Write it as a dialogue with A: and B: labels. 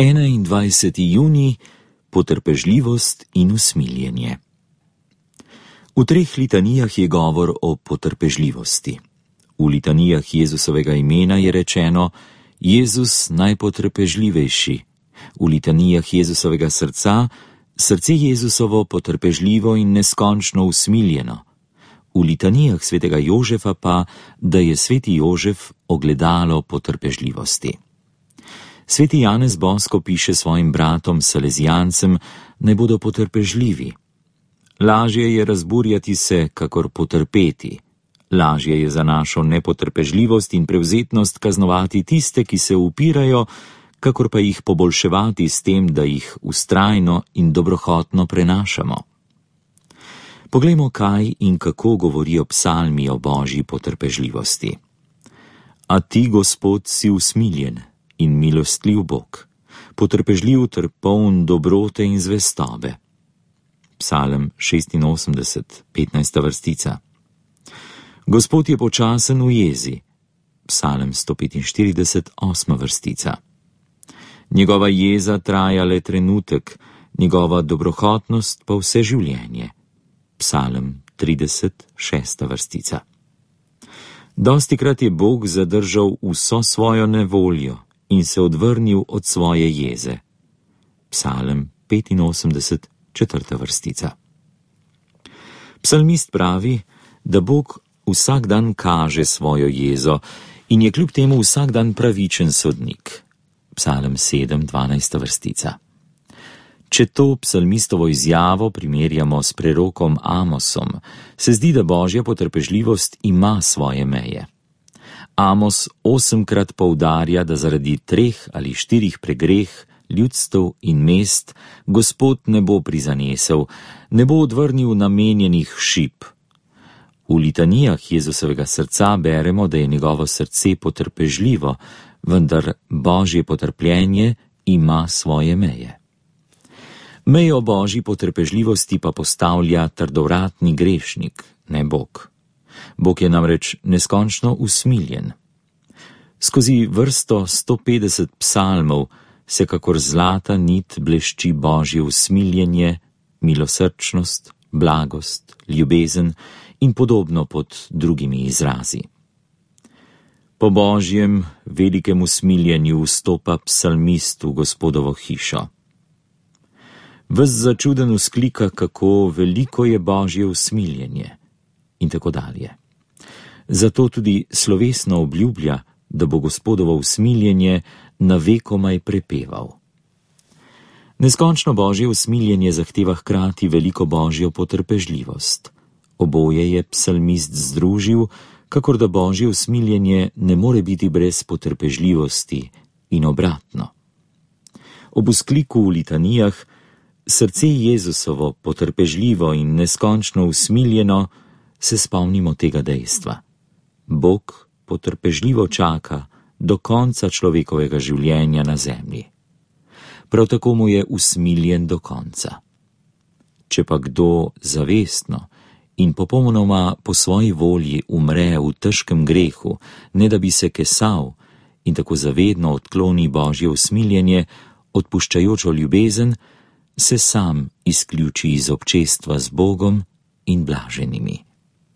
A: 21. junij, potrpežljivost in usmiljenje. V 3 litanijah je govor o potrpežljivosti. V litanijah Jezusovega imena je rečeno Jezus najpotrpežljivejši, v litanijah Jezusovega srca srce Jezusovo potrpežljivo in neskončno usmiljeno, v litanijah svetega Jožefa pa, da je sveti Jožef ogledalo potrpežljivosti. Sveti Janez Bosko piše svojim bratom salezijancem, naj bodo potrpežljivi. Lažje je razburjati se, kakor potrpeti. Lažje je za našo nepotrpežljivost in prevzetnost kaznovati tiste, ki se upirajo, kakor pa jih poboljševati s tem, da jih vztrajno in dobrohotno prenašamo. Poglejmo, kaj in kako govorijo psalmi o Božji potrpežljivosti. A ti, Gospod, si usmiljen in milostljiv Bog, potrpežljiv ter poln dobrote in zvestobe. Psalm 86, 15. vrstica. Gospod je počasen v jezi. Psalm 145, 8. vrstica. Njegova jeza traja le trenutek, njegova dobrohotnost pa vse življenje. Psalm 30, 6. vrstica. Dostikrat je Bog zadržal vso svojo nevoljo in se odvrnil od svoje jeze. Psalm 85, 4. vrstica. Psalmist pravi, da Bog vsak dan kaže svojo jezo in je kljub temu vsak dan pravičen sodnik. Psalm 7, 12. vrstica. Če to psalmistovo izjavo primerjamo s prerokom Amosom, se zdi, da Božja potrpežljivost ima svoje meje. Amos 8-krat poudarja, da zaradi 3 ali 4 pregreh, ljudstev in mest Gospod ne bo prizanesel, ne bo odvrnil namenjenih šip. V litanijah Jezusovega srca beremo, da je njegovo srce potrpežljivo, vendar Božje potrpljenje ima svoje meje. Mejo Božji potrpežljivosti pa postavlja trdovratni grešnik, ne Bog. Bog je namreč neskončno usmiljen. Skozi vrsto 150 psalmov se kakor zlata nit blešči Božje usmiljenje, milosrčnost, blagost, ljubezen in podobno pod drugimi izrazi. Po Božjem velikem usmiljenju vstopa psalmist v Gospodovo hišo. Ves začuden vzklika, kako veliko je Božje usmiljenje in tako dalje. Zato tudi slovesno obljublja, da bo Gospodovo usmiljenje navekomaj prepeval. Neskončno Božje usmiljenje zahteva hkrati veliko Božjo potrpežljivost. Oboje je psalmist združil, kakor da Božje usmiljenje ne more biti brez potrpežljivosti in obratno. Ob vzkliku v litanijah srce Jezusovo potrpežljivo in neskončno usmiljeno se spomnimo tega dejstva. Bog potrpežljivo čaka do konca človekovega življenja na zemlji. Prav tako mu je usmiljen do konca. Če pa kdo zavestno in popolnoma po svoji volji umre v težkem grehu, ne da bi se kesal in tako zavedno odkloni Božje usmiljenje, odpuščajočo ljubezen, se sam izključi iz občestva z Bogom in blaženimi.